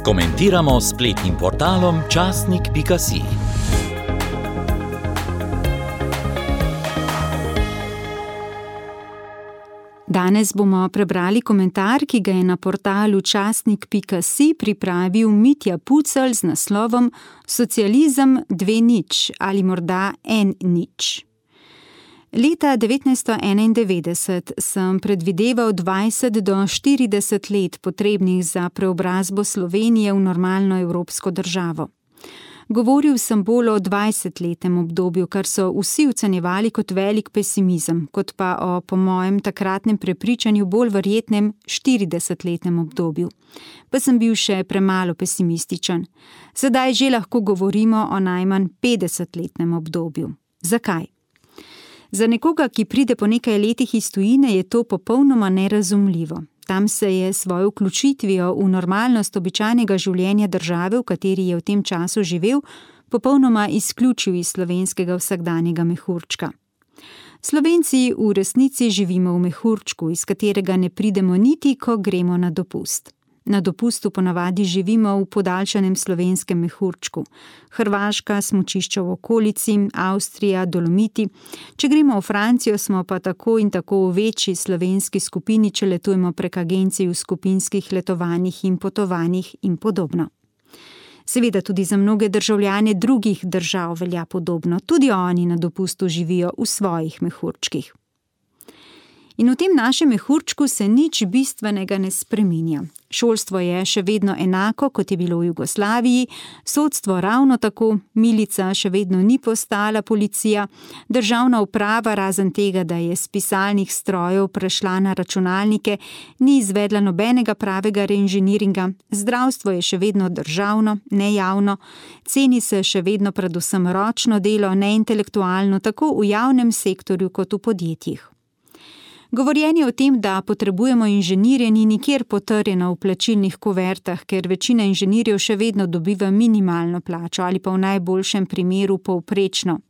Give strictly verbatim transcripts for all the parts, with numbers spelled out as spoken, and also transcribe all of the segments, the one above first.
Komentiramo s spletnim portalom časnik pika si. Danes bomo prebrali komentar, ki ga je na portalu časnik pika si pripravil Mitja Pucelj z naslovom Socializem dve nič ali morda en nič. Leta devetnajststo enaindevetdeset sem predvideval dvajset do štirideset let potrebnih za preobrazbo Slovenije v normalno evropsko državo. Govoril sem bolj o dvajsetletnem obdobju, kar so vsi ocenjevali kot velik pesimizem, kot pa o, po mojem takratnem prepričanju, bolj verjetnem štiridesetletnem obdobju. Pa sem bil še premalo pesimističen. Sedaj že lahko govorimo o najmanj petdesetletnem obdobju. Zakaj? Za nekoga, ki pride po nekaj letih iz tujine, je to popolnoma nerazumljivo. Tam se je svojo vključitvijo v normalnost običajnega življenja države, v kateri je v tem času živel, popolnoma izključil iz slovenskega vsakdanjega mehurčka. Slovenci v resnici živimo v mehurčku, iz katerega ne pridemo niti, ko gremo na dopust. Na dopustu ponavadi živimo v podaljšanem slovenskem mehurčku. Hrvaška, smučišča v okolici, Avstrija, Dolomiti. Če gremo v Francijo, smo pa tako in tako v večji slovenski skupini, če letujemo prek agencij v skupinskih letovanjih in potovanjih in podobno. Seveda tudi za mnoge državljane drugih držav velja podobno. Tudi oni na dopustu živijo v svojih mehurčkih. In v tem našem mehurčku se nič bistvenega ne spreminja. Šolstvo je še vedno enako, kot je bilo v Jugoslaviji, sodstvo ravno tako, milica še vedno ni postala policija, državna uprava, razen tega, da je s pisalnih strojev prešla na računalnike, ni izvedla nobenega pravega reinženiringa, zdravstvo je še vedno državno, ne javno, ceni se še vedno predvsem ročno delo, ne intelektualno, tako v javnem sektorju kot v podjetjih. Govorjenje o tem, da potrebujemo inženirje, ni nikjer potrjeno v plačilnih kuvertah, ker večina inženirjev še vedno dobiva minimalno plačo ali pa v najboljšem primeru povprečno.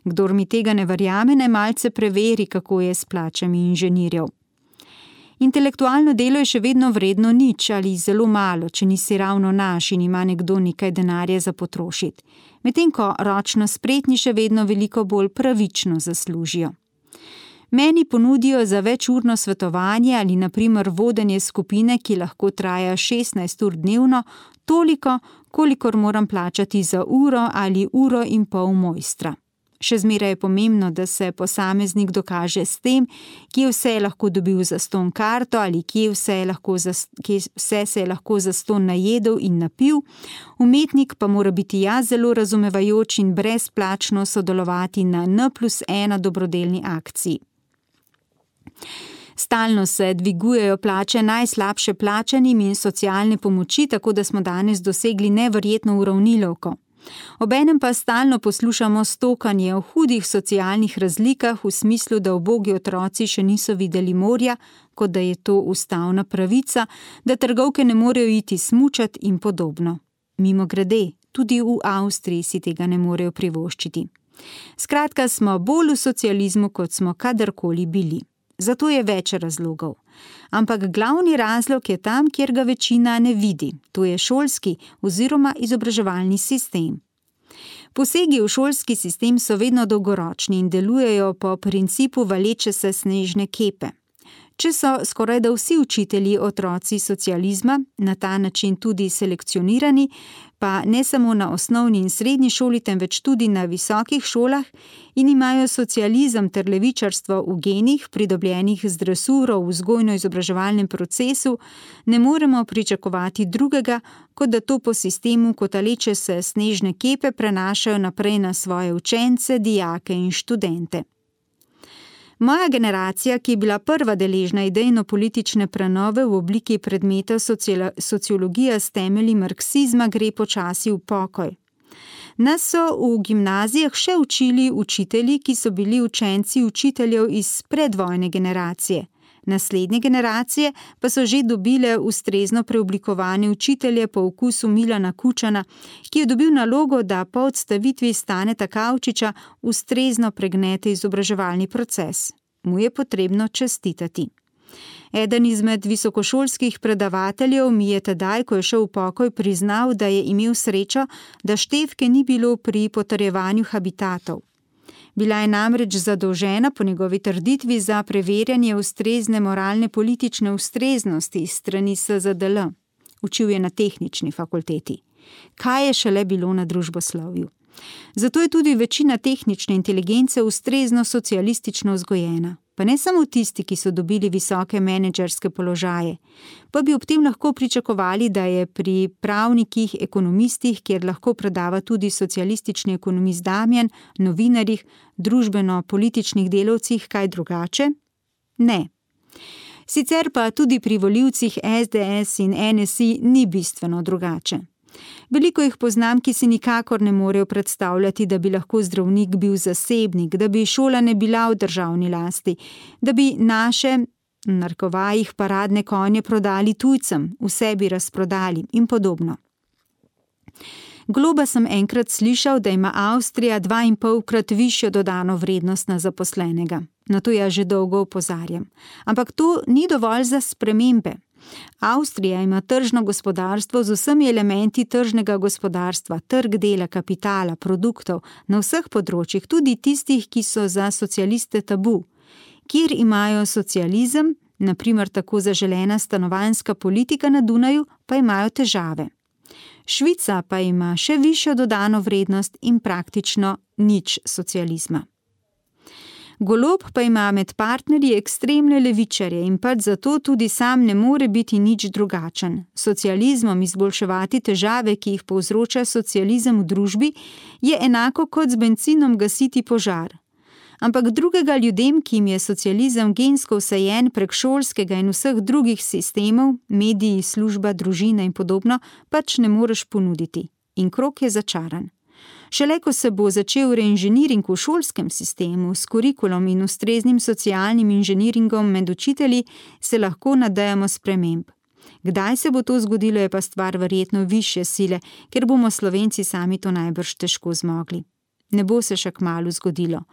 Kdor mi tega ne verjame, naj malce preveri, kako je s plačami inženirjev. Intelektualno delo je še vedno vredno nič ali zelo malo, če nisi ravno naš in ima nekdo nekaj denarja za potrošiti. Medtem ko ročno spretni še vedno veliko bolj pravično zaslužijo. Meni ponudijo za večurno svetovanje ali na primer vodenje skupine, ki lahko traja šestnajst ur dnevno, toliko, kolikor moram plačati za uro ali uro in pol mojstra. Še zmeraj je pomembno, da se posameznik dokaže s tem, kje vse je lahko dobil zastonj karto ali kje vse, je lahko za, kje vse se je lahko zastonj najedel in napil. Umetnik pa mora biti ja zelo razumevajoč in brezplačno sodelovati na en plus ena dobrodelni akciji. Stalno se dvigujejo plače najslabše plačanim in socialne pomoči, tako da smo danes dosegli neverjetno uravnilovko. Obenem pa stalno poslušamo stokanje o hudih socialnih razlikah v smislu, da ubogi otroci še niso videli morja, kot da je to ustavna pravica, da trgovke ne morejo iti smučat in podobno. Mimogrede, tudi v Avstriji si tega ne morejo privoščiti. Skratka, smo bolj v socializmu, kot smo kadarkoli bili. Zato je več razlogov. Ampak glavni razlog je tam, kjer ga večina ne vidi. To je šolski oziroma izobraževalni sistem. Posegi v šolski sistem so vedno dolgoročni in delujejo po principu valeče se snežne kepe. Če so skoraj da vsi učitelji otroci socializma, na ta način tudi selekcionirani, pa ne samo na osnovni in srednji šoli, temveč tudi na visokih šolah in imajo socializem ter levičarstvo v genih, pridobljenih z dresuro v vzgojno-izobraževalnem procesu, ne moremo pričakovati drugega, kot da to po sistemu kotaleče se snežne kepe prenašajo naprej na svoje učence, dijake in študente. Moja generacija, ki je bila prva deležna idejno-politične prenove v obliki predmeta sociologija s temelji marksizma, gre počasi v pokoj. Nas so v gimnazijah še učili učitelji, ki so bili učenci učiteljev iz predvojne generacije. Naslednje generacije pa so že dobile ustrezno preoblikovane učitelje po okusu Milana Kučana, ki je dobil nalogo, da po odstavitvi Staneta Kavčiča ustrezno pregnete izobraževalni proces. Mu je potrebno čestitati. Eden izmed visokošolskih predavateljev mi je tedaj, ko je šel v pokoj, priznal, da je imel srečo, da Štefke ni bilo pri potrjevanju habitatov. Bila je namreč zadolžena po njegovi trditvi za preverjanje ustrezne moralne politične ustreznosti iz strani S Z D L. Učil je na tehnični fakulteti. Kaj je šele bilo na družboslovju? Zato je tudi večina tehnične inteligence ustrezno socialistično vzgojena. Pa ne samo tisti, ki so dobili visoke menedžerske položaje, pa bi ob tem lahko pričakovali, da je pri pravnikih, ekonomistih, kjer lahko predava tudi socialistični ekonomist Damjan, novinarjih, družbeno-političnih delavcih kaj drugače? Ne. Sicer pa tudi pri volivcih S D S in N S I ni bistveno drugače. Veliko jih poznam, ki si nikakor ne morejo predstavljati, da bi lahko zdravnik bil zasebnik, da bi šola ne bila v državni lasti, da bi naše, v narekovajih, paradne konje prodali tujcem, vse bi razprodali in podobno. Globa sem enkrat slišal, da ima Avstrija dvainpolkrat višjo dodano vrednost na zaposlenega. Na to jaz že dolgo opozarjam. Ampak to ni dovolj za spremembe. Avstrija ima tržno gospodarstvo z vsemi elementi tržnega gospodarstva, trg dela, kapitala, produktov, na vseh področjih, tudi tistih, ki so za socialiste tabu. Kjer imajo socializem, na primer tako zaželena stanovanjska politika na Dunaju, pa imajo težave. Švica pa ima še višjo dodano vrednost in praktično nič socializma. Golob pa ima med partnerji ekstremne levičarje in pač zato tudi sam ne more biti nič drugačen. Socializmom izboljševati težave, ki jih povzroča socializem v družbi, je enako kot z bencinom gasiti požar. Ampak drugega ljudem, ki jim je socializem gensko vsajen prek šolskega in vseh drugih sistemov, mediji, služba, družina in podobno, pač ne moreš ponuditi. In krog je začaran. Šele ko se bo začel reinženiring v šolskem sistemu s kurikulom in ustreznim socialnim inženiringom med učitelji, se lahko nadejamo sprememb. Kdaj se bo to zgodilo, je pa stvar verjetno višje sile, ker bomo Slovenci sami to najbrž težko zmogli. Ne bo se še kmalu zgodilo.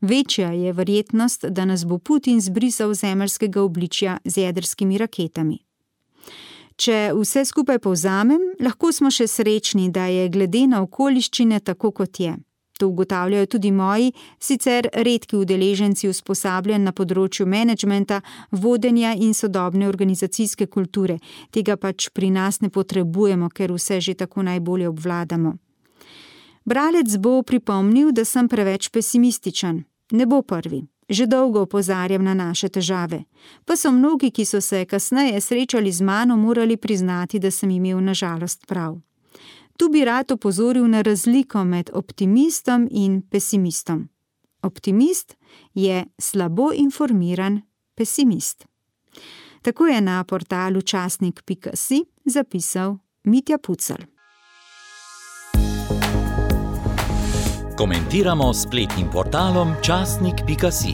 Večja je verjetnost, da nas bo Putin zbrisal zemeljskega obličja z jedrskimi raketami. Če vse skupaj povzamem, lahko smo še srečni, da je glede na okoliščine tako, kot je. To ugotavljajo tudi moji, sicer redki udeleženci usposabljanj na področju menedžmenta, vodenja in sodobne organizacijske kulture. Tega pač pri nas ne potrebujemo, ker vse že tako najbolje obvladamo. Bralec bo pripomnil, da sem preveč pesimističen. Ne bo prvi. Že dolgo opozarjam na naše težave. Pa so mnogi, ki so se kasneje srečali z mano, morali priznati, da sem imel na žalost prav. Tu bi rad opozoril na razliko med optimistom in pesimistom. Optimist je slabo informiran pesimist. Tako je na portalu časnik pika si zapisal Mitja Pucelj. Komentiramo s spletnim portalom časnik pika si.